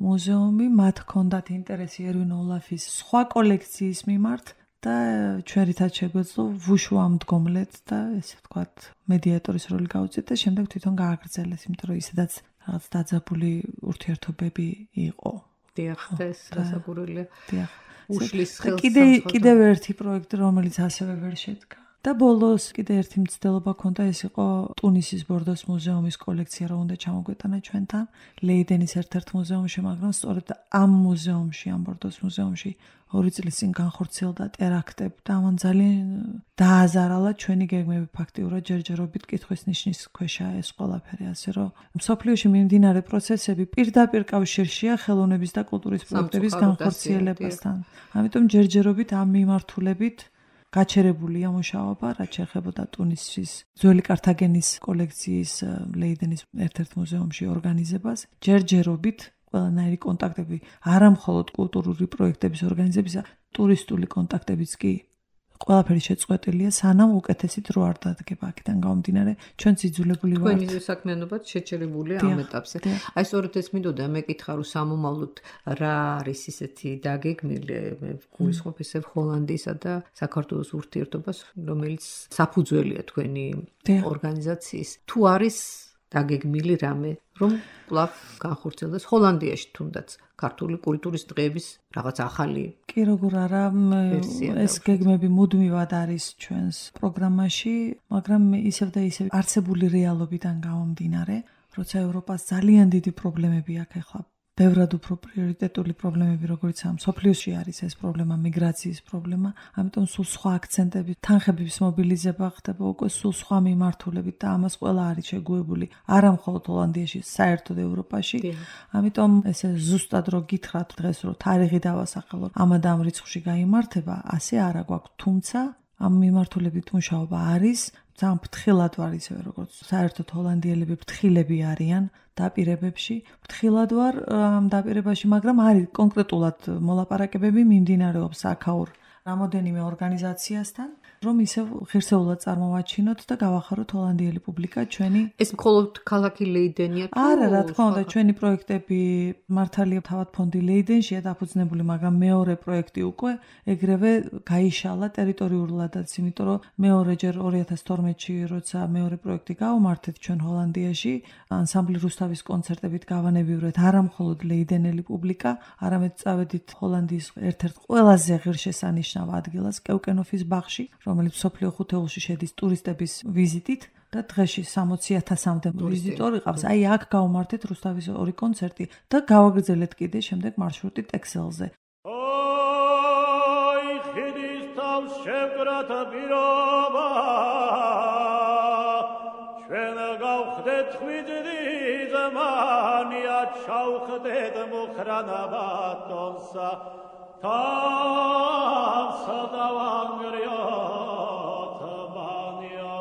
S3: მუზეუმი, მათ ჰქონდათ ინტერესი ერვინ ოლაფის სხვა კოლექციის მიმართ. და ჩვენ რითაც შეგვეძლო ვუშუ ამდგომლეთ და ესე ვთქვათ მედიატორის როლი გავუწიეთ და შემდეგ თვითონ გააგრძელეს, იმიტომ რომ ისედაც რაღაც დაძაბული ურთიერთობები იყო.
S2: დიახ, ეს გასაგურელია.
S3: დიახ.
S2: უშლის ხელს
S3: კიდე კიდევ ერთი პროექტი, რომელიც ასევე ვერ შედგა. და ბოლოს კიდე ერთი მცდელობა ქონდა, ეს იყო ტუნისის ბორდოს მუზეუმის კოლექცია, რომ უნდა ჩამოგვეტანა ჩვენთან ლეიდენის ერთ-ერთ მუზეუმში, მაგრამ სწორედ ამ მუზეუმში, ამ ბორდოს მუზეუმში ორი წლის წინ განხორციელდა ტერაქტები და ამან ძალიან დააზარალა ჩვენი გეგმები, ფაქტიურად ჯერჯერობით კითხვის ნიშნის ქვეშაა ეს ყველაფერი, ასე რომ მსოფლიოში მიმდინარე პროცესები პირდაპირ კავშირშია ხელოვნების და კულტურის პროექტების განხორციელებასთან. ამიტომ ჯერჯერობით ამ მიმართულებით გაჩერებულია მუშაობა, რაც შეეხებოდა ტუნისის ძველი კართაგენის კოლექციის ლეიდენის ერთ-ერთ მუზეუმში ორგანიზებას. ჯერჯერობით ყველანაირი კონტაქტები, არა მხოლოდ კულტურული პროექტების ორგანიზებისა, ტურისტული კონტაქტებიც კი ყველაფერი შეწყვეტილია, სანამ უკეთესით რო არ დადგება აქედან გამომდინარე, ჩვენ ძიძულებული ვართ.
S2: თქვენი საქმიანობაც შეჩერებულია ამ ეტაპზე. აი სწორედ ეს მინდოდა მეკითხა, რომ სამომავლოდ რა არის ისეთი დაგეგმილი, მე გულისხმობ ესე ჰოლანდიისა და საქართველოს ურთიერთობას, რომელიც საფუძველია თქვენი ორგანიზაციის. თუ არის დაგეგმილი რამე, რომ კვლავ განხორციელდეს ჰოლანდიაში თუნდაც ქართული კულტურის დღეების რაღაც ახალი.
S3: კი როგორ არა, ეს გეგმები მუდმივად არის ჩვენს პროგრამაში, მაგრამ ისევ და ისევ არსებული რეალობიდან გამომდინარე, როცა ევროპას ძალიან დიდი პრობლემები აქვს ახლა. ბევრად უფრო პრიორიტეტული პრობლემები, როგორც ამ სოფლიოში არის ეს პრობლემა, მიგრაციის პრობლემა, ამიტომ სულ სხვა აქცენტები, თანხების მობილიზება ხდება უკვე სულ სხვა მიმართულებით და ამას ყველა არის შეგუებული, არა მხოლოდ ჰოლანდიაში, საერთოდ ევროპაში. ამიტომ ესე ზუსტად რო გითხრათ დღეს რო თარიღი დავასახელოთ, ამად ამ რიცხვში გაიმართება, ასე არა გვაქვს, თუმცა ამ მიმართულებით მუშაობა არის, ძალიან ფრთხილად ვარ ისევე როგორც საერთოდ ჰოლანდიელები ფრთხილები არიან დაპირებებში, ფრთხილად ვარ ამ დაპირებაში, მაგრამ არის კონკრეტულად მოლაპარაკებები მიმდინარეობს აქაურ რამოდენიმე ორგანიზაციასთან, რომ ისევ ღირსეულად წარმოვაჩინოთ და გავახაროთ ჰოლანდიელი პუბლიკა ჩვენი.
S2: ეს მხოლოდ ქალაქი ლეიდენია თუ?
S3: არა, რა თქმა უნდა, ჩვენი პროექტები მართალია თავად ფონდი ლეიდენშია დაფუძნებული, მაგრამ მეორე პროექტი უკვე ეგრევე გაიშალა ტერიტორიულადაც, იმიტომ რომ მეორეჯერ ორი ათას თორმეტში, როცა მეორე პროექტი გავმართეთ ჩვენ ჰოლანდიაში, ანსამბლი რუსთავის კონცერტებით გავანებივრეთ არა მხოლოდ ლეიდენელი პუბლიკა, არამედ წავედით ჰოლანდიის ერთ-ერთ ყველაზე ღირსშესანიშნავ ადგილას, კევკენოფის ბაღში, რომელიც სოფლიო ხუთეულში შედის ტურისტების ვიზიტით და დღეში სამოცი ათასამდე ვიზიტორი ყავს. აი აქ გავმართეთ რუსთავის ორი კონცერტი და გავაგრძელეთ კიდე შემდეგ მარშრუტი ტექსელზე.
S4: აი ხიდის თავს შევკრათ პირობა ჩვენ გავხდეთ ხვიძდი ზმანია ჩავხდეთ მუხრანა ბატონსა თავს დავანგრიოთ ბანია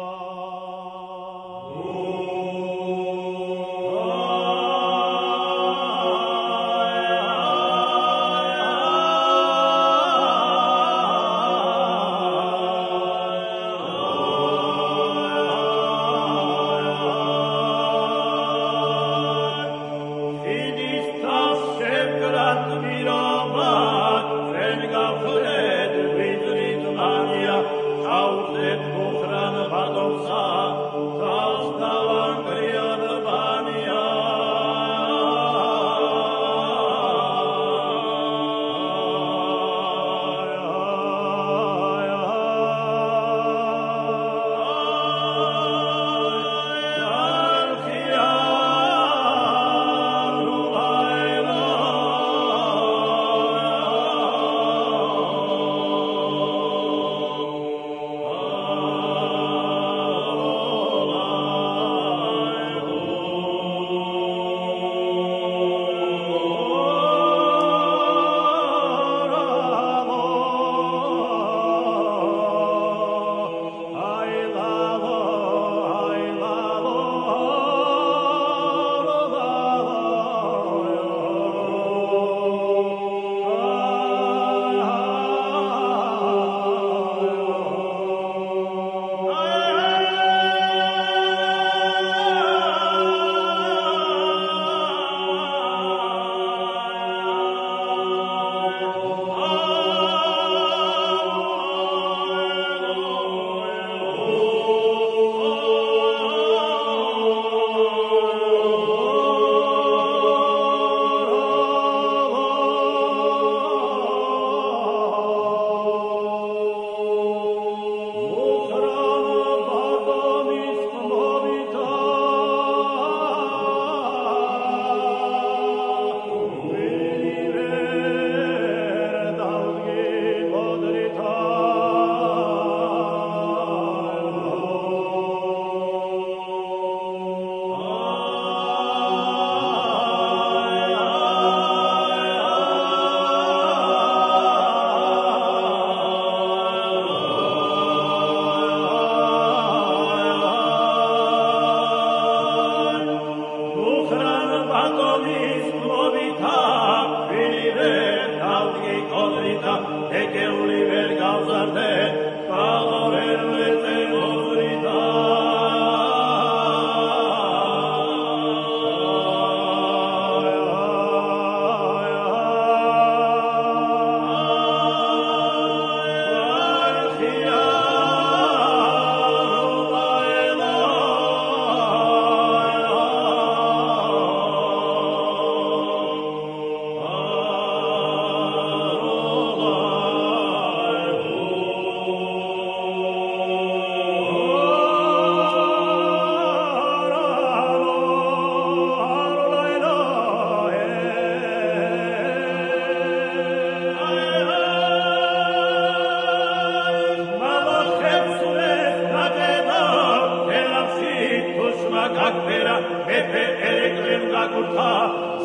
S4: curta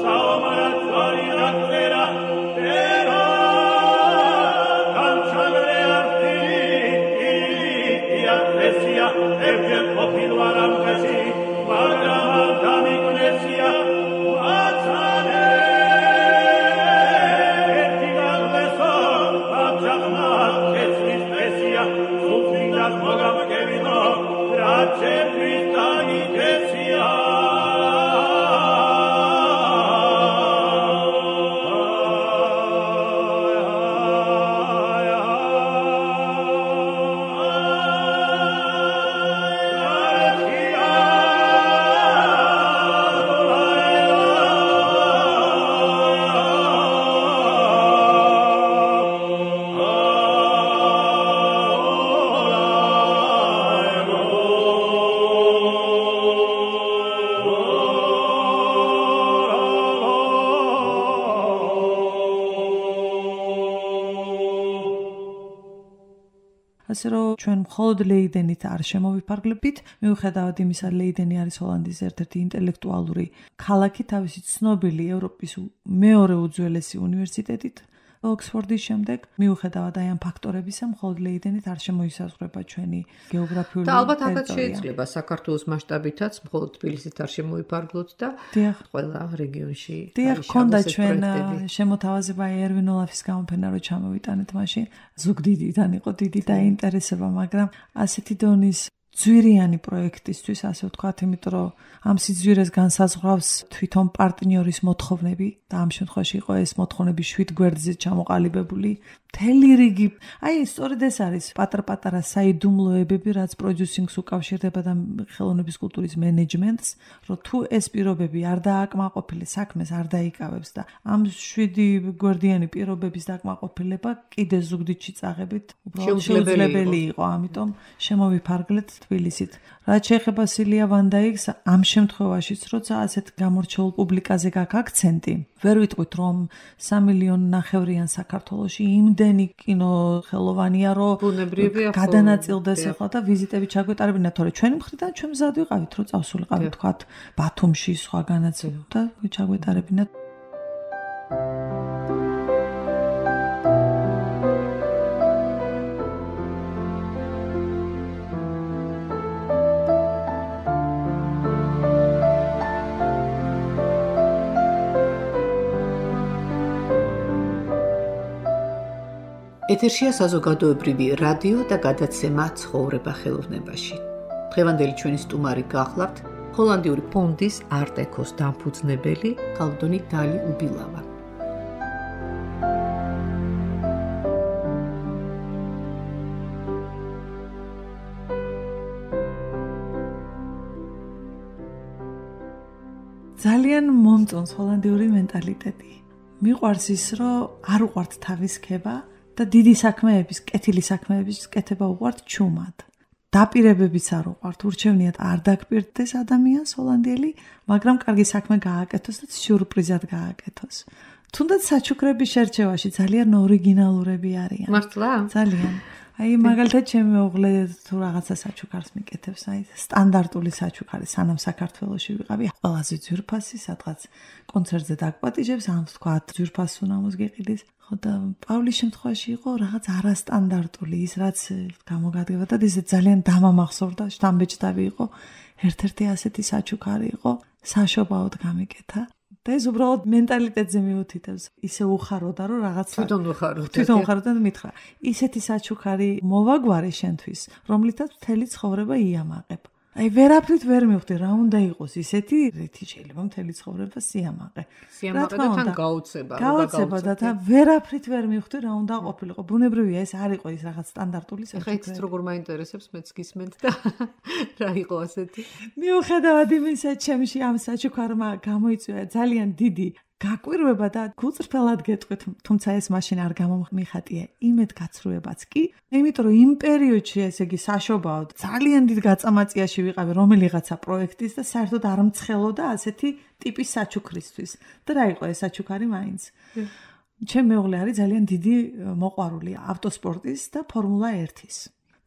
S4: saomara tvarira tera tera canciare arti ia presia evge popilvaram casi magrama dami gnesia matsane ertigalleso abjagma kesvis presia sufridas mogam kevino race pristani kesia
S3: ასე რომ ჩვენ მხოლოდ ლეიდენით არ შემოვიფარგლებით, მიუხედავად იმისა, ლეიდენი არის ჰოლანდიის ერთ-ერთი ინტელექტუალური ქალაქი, თავისი ცნობილი ევროპის მეორე უძველესი უნივერსიტეტით, ოქსფორდის შემდეგ, მიუხედავად აი ამ ფაქტორებისა, მხოლოდ ლეიდენით არ შემოისაზღვრება ჩვენი გეოგრაფიული
S2: და ალბათ აქაც შეიძლება საქართველოს მასშტაბითაც მხოლოდ თბილისით არ შემოიფარგლოთ და ყველა რეგიონში
S3: დიახ, ქონდა ჩვენ შემოთავაზება ერვინ ოლაფის გამოფენა რო ჩამოვიტანეთ მაშინ, ზუგდიდიდან იყო დიდი დაინტერესება, მაგრამ ასეთი დონის ძვირიანი პროექტისთვის, ასე ვთქვათ, იმიტომ რომ ამ სიძვირეს განსაზღვრავს თვითონ პარტნიორის მოთხოვნები და ამ შემთხვევაში იყო ეს მოთხოვნები შვიდ გვერდზე ჩამოყალიბებული. მთელი რიგი, აი სწორედ ეს არის პატარ-პატარა საიდუმლოებები, რაც პროდიუსინგს უკავშირდება და ხელოვნების კულტურის მენეჯმენტს, რომ თუ ეს პირობები არ დააკმაყოფილე, საქმეს არ დაიკავებს და ამ შვიდი გვერდიანი პირობების დაკმაყოფილება კიდე ზუგდიდში წაღებით უბრალოდ შეუძლებელი იყო, ამიტომ შემოვიფარგლეთ თბილისით. რაც შეეხება სილია ვანდაიკს, ამ შემთხვევაშიც, როცა ასეთ გამორჩეულ პუბლიკაზე გაქვს აქცენტი, ვერ ვიტყვით, რომ სამი მილიონი ნახევრიან საქართველოში იმდენი კინო ხელოვანია, რომ გადანაწილდეს ახლა და ვიზიტები ჩაგვეტარებინა, თორე ჩვენი მხრიდან ჩვენ მზად ვიყავით, რომ წავსულიყავით, თქვათ, ბათუმში სხვაგანაც და ჩაგვეტარებინა.
S2: ეთერშია საზოგადოებრივი რადიო და გადაცემა ცხოვრება ხელოვნებაში. დღევანდელი ჩვენი სტუმარი გახლავთ ჰოლანდიური ფონდის არტ-ეკოს დამფუძნებელი ქალბატონი დალი უბილავა.
S3: ძალიან მომწონს ჰოლანდიური მენტალიტეტი. მიყვარს ის, რომ არ უყვართ თავის ქება და დიდი საქმეების, კეთილი საქმეების კეთება უყვართ ჩუმად. დაპირებებიც არ უყვართ, ურჩევნიათ არ დაგპირდეს ადამიანს ჰოლანდიელი, მაგრამ კარგი საქმე გააკეთოს და სიურპრიზად გააკეთოს. თუნდაც საჩუქრების შერჩევაში ძალიან ორიგინალურები არიან.
S2: მართლა?
S3: ძალიან. აი მაგალითად ჩემი მეუღლე თუ რაღაცა საჩუქარს მიკეთებს, აი სტანდარტული საჩუქარი, სანამ საქართველოში ვიყავი, ყველაზე ძვირფასი, სადღაც კონცერტზე დაგპატიჟებს, ამ თქვათ ძვირფასს უნდა მოსგეყიდეს. ხო და პავლის შემთხვევაში იყო რაღაც არასტანდარტული, ის რაც გამოგადგება და ეს ძალიან დამამახსოვრდა, შთამბეჭდავი იყო. ერთ-ერთი ასეთი საჩუქარი იყო, საშობაოდ გამიკეთა. და ეს უბრალოდ მენტალიტეტზე მიუთითებს. ისე უხაროდა, რომ რაღაც
S2: თვითონ უხაროდა.
S3: თვითონ უხაროდა და მითხრა, ისეთი საჩუქარი მოვაგვარე შენთვის, რომლითაც მთელი ცხოვრება იამაყებ. აი ვერაფრით ვერ მივხვდი რა უნდა იყოს ისეთი, რითი შეიძლება მთელი ცხოვრება სიამაყე.
S2: სიამაყე და თან გაუცება,
S3: რა გაუცება და თან ვერაფრით ვერ მივხვდი რა უნდა ყოფილიყო. ბუნებრივია ეს არ იყო ის რაღაც სტანდარტული საჩუქარი.
S2: ეხა ის როგორ მაინტერესებს მეც გისმენთ და რა იყო ასეთი.
S3: მიუხედავად იმისა, ჩემში ამ საჩუქარმა გამოიწვია ძალიან დიდი გაკვირვება და გულწრფელად გეტყვით, თუმცა ეს მაშინ არ გამომიხატია იმედ გაცრუებაც კი, იმიტომ რომ იმ პერიოდში ესე იგი საშობაოდ ძალიან დიდ გაწამაწიაში ვიყავი რომელიღაცა პროექტის და საერთოდ არ მცხელოდა ასეთი ტიპის საჩუქრისთვის. და რა იყო ეს საჩუქარი მაინც? ჩემი მეუღლე არის ძალიან დიდი მოყვარული ავტოსპორტის და ფორმულა ერთის.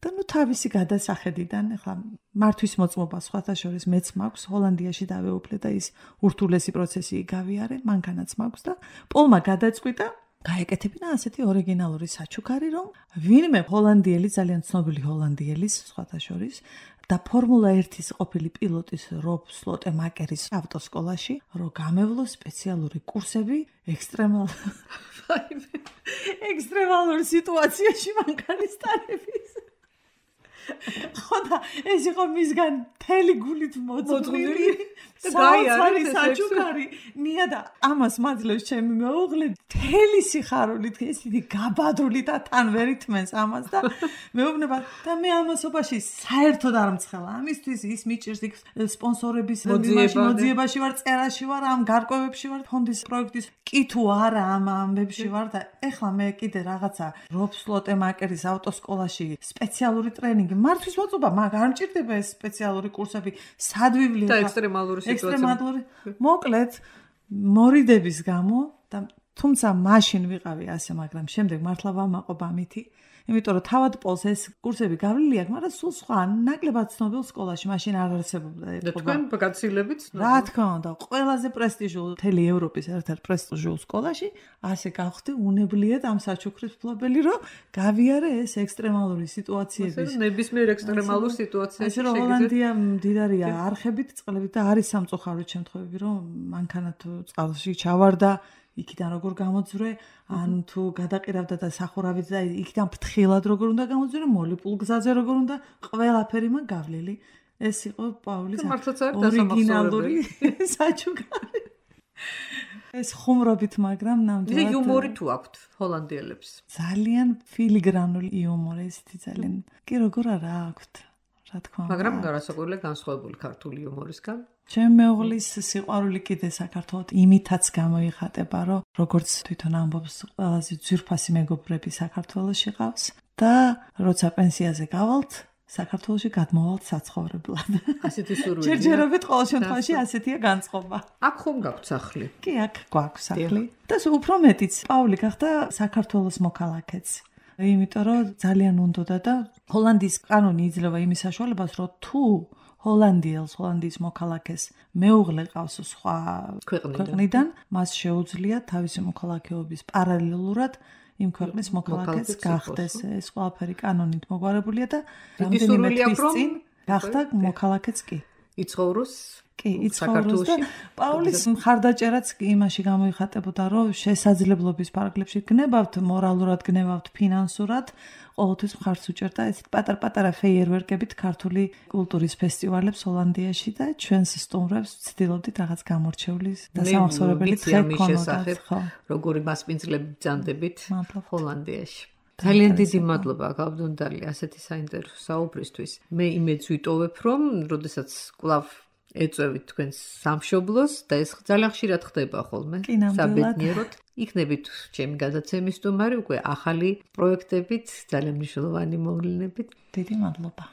S3: და ნუ თავისი გადასახედიდან ახლა მართვის მოწმობა სხვათა შორის მეც მაქვს ჰოლანდიაში დავეუფლე და ის ურთულესი პროცესი გავიარე მანქანაც მაქვს და პოლმა გადაწყვიტა გაეკეთებინა ასეთი ორიგინალური საჩუქარი რომ ვინმე ჰოლანდიელი ძალიან ცნობილი ჰოლანდიელის სხვათა შორის და ფორმულა ერთის ყოფილი პილოტის რობ სლოტემაკერის ავტოსკოლაში რომ გამევლო სპეციალური კურსები ექსტრემალ ექსტრემალურ სიტუაციაში მანქანის ტარების ხოდა ეს იყო მისგან თელი გულით მოწმული საოცარი საჩუქარი ნია და ამას მაძლევს ჩემი მეუღლე თელი სიხარულით ესეთი გაბადრული და თან ვერ ითმენს ამას და მეუბნება და მე ამასობაში საერთოდ არ მცხელა ამისთვის ის მიჭირს იქ სპონსორების მოძიებაში ვარ წერაში ვარ ამ გარკვევებში ვარ ფონდის პროექტის კი თუ არა ამ ამბებში ვარ და ეხლა მე კიდე რაღაცა რობ სლოტემაკერის ავტოსკოლაში სპეციალური ტრენინგი მართვის მოწობა მაგ არ მჭირდება ეს სპეციალური კურსები სადვივლი
S2: და ექსტრემალური
S3: ექსტრემალური მოკლედ მორიდების გამო და თუმცა მაშინ ვიყავი ასე მაგრამ შემდეგ მართლა ვამაყობ ამითი იმიტომ რომ თავად პოლს ეს კურსები გავლილი აქვს მაგრამ სულ სხვა ნაკლებად ცნობილ სკოლაში მაშინ არ არსებობდა
S2: და თქვენ გაცილებით
S3: რა თქმა უნდა ყველაზე პრესტიჟულ მთელი ევროპის ერთ-ერთ პრესტიჟულ სკოლაში ასე გავხდი უნებლიეთ ამ საჩუქრის ფლობელი რომ გავიარე ეს ექსტრემალური სიტუაციების
S2: ნებისმიერ ექსტრემალურ სიტუაციაში
S3: შეგიძლიათ ჰოლანდია მდიდარია არხებით წყლებით და არის სამწუხაროდ შემთხვევები რომ მანქანა თუ წყალში ჩავარდა იქიდან როგორ გამოძვრე, ან თუ გადაყირავდა და სახურავით და იქიდან ფრთხილად როგორ უნდა გამოძვრე, მოლიპულ გზაზე როგორ უნდა, ყველაფერი მაგ გავლილი. ეს იყო პაულის ორიგინალური საჩუქარი. ეს ხუმრობით, მაგრამ ნამდვილად
S2: იუმორი თუ აქვთ ჰოლანდიელებს.
S3: ძალიან ფილიგრანული იუმორი, ესეთი ძალიან. კი როგორ არა აქვთ, რა თქმა უნდა.
S2: მაგრამ გარასაკვირველია განსხვავებული ქართული იუმორისგან.
S3: ჩემ მეუღლის სიყვარული კიდე საქართველოს იმითაც გამოიხატება, რომ როგორც თვითონ ამბობს, ყველაზე ძვირფასი მეგობრები საქართველოში ყავს და როცა პენსიაზე გავალთ, საქართველოში გადმოვალთ საცხოვრებლად.
S2: ასეთი სურვილია.
S3: ჯერჯერობით ყოველ შემთხვევაში ასეთია განწყობა.
S2: აქ ხომ გაქვთ სახლი?
S3: კი, აქ გვაქვს სახლი. და უფრო მეტიც, პავლი გახდა საქართველოს მოქალაქეც. იმიტომ რომ ძალიან უნდოდა და ჰოლანდიის კანონი იძლევა იმის საშუალებას, რომ თუ ჰოლანდიელს, ჰოლანდიის მოქალაქეს მეუღლე ყავს სხვა ქვეყნიდან, მას შეუძლია თავისი მოქალაქეობის პარალელურად იმ ქვეყნის მოქალაქეს გახდეს. ეს ყველაფერი კანონით მოგვარებულია და რამდენიმე თვის წინ გახდა მოქალაქეც კი.
S2: იცხოვროს
S3: კი, იცხოვროს და პაულის მხარდაჭერაც იმაში გამოიხატებოდა, რომ შესაძლებლობის პარაგლებში გნებავთ, მორალურად გნებავთ, ფინანსურად, ყოველთვის მხარს უჭერდა ეს პატარ-პატარა ფეიერვერკებით ქართული კულტურის ფესტივალებს ჰოლანდიაში და ჩვენს სტუმრებს ვცდილობდით რაღაც გამორჩევლის და სამახსოვრებელი დღე ქონოდათ, ხო?
S2: როგორი მასპინძლები ბრძანდებით ჰოლანდიაში. ძალიან დიდი მადლობა გავდონდალი ასეთი საინტერესო საუბრისთვის. მე იმედს ვიტოვებ, რომ როდესაც კვლავ ეწევით თქვენს სამშობლოს და ეს ძალიან ხშირად ხდება ხოლმე საბედნიეროდ. იქნებით ჩემი გადაცემის სტუმარი უკვე ახალი პროექტებით, ძალიან მნიშვნელოვანი მოვლენებით.
S3: დიდი მადლობა.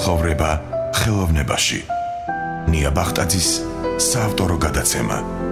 S1: ცხოვრება ხელოვნებაში. ნია ბახტაძის საავტორო გადაცემა.